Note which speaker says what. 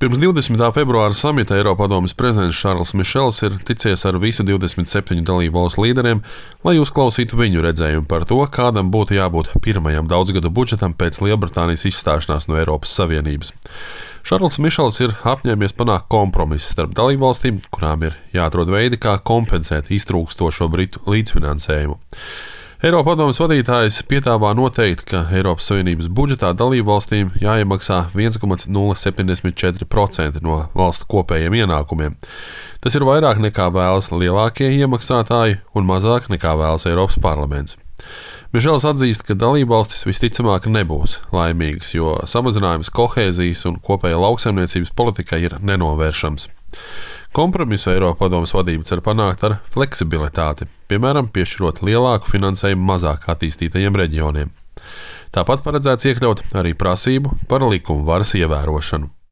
Speaker 1: Pirms 20. februāra samita Eiropadomes prezidents Šarls Mišels ir ticies ar visu 27 dalību valstu līderiem, lai uzklausītu viņu redzējumu par to, kādam būtu jābūt pirmajam daudzgadu budžetam pēc Lielbritānijas izstāšanās no Eiropas Savienības. Šarls Mišels ir apņēmies panākt kompromisu starp dalību valstīm, kurām ir jāatrod veidi, kā kompensēt iztrūkstošo Britu līdzfinansējumu. Eiropadomes vadītājs piedāvā noteikt, ka Eiropas Savienības budžetā dalību valstīm jāiemaksā 1,074% no valstu kopējiem ienākumiem. Tas ir vairāk nekā vēlas lielākie iemaksātāji un mazāk nekā vēlas Eiropas parlaments. Mišels atzīst, ka dalību valstis visticamāk nebūs laimīgas, jo samazinājums kohēzijas un kopējā lauksaimniecības politikai ir nenovēršams. Kompromisu Eiropadomes vadība cer panākt ar fleksibilitāti, piemēram, piešķirot lielāku finansējumu mazāk attīstītajiem reģioniem. Tāpat paredzēts iekļaut arī prasību par likumu varas ievērošanu.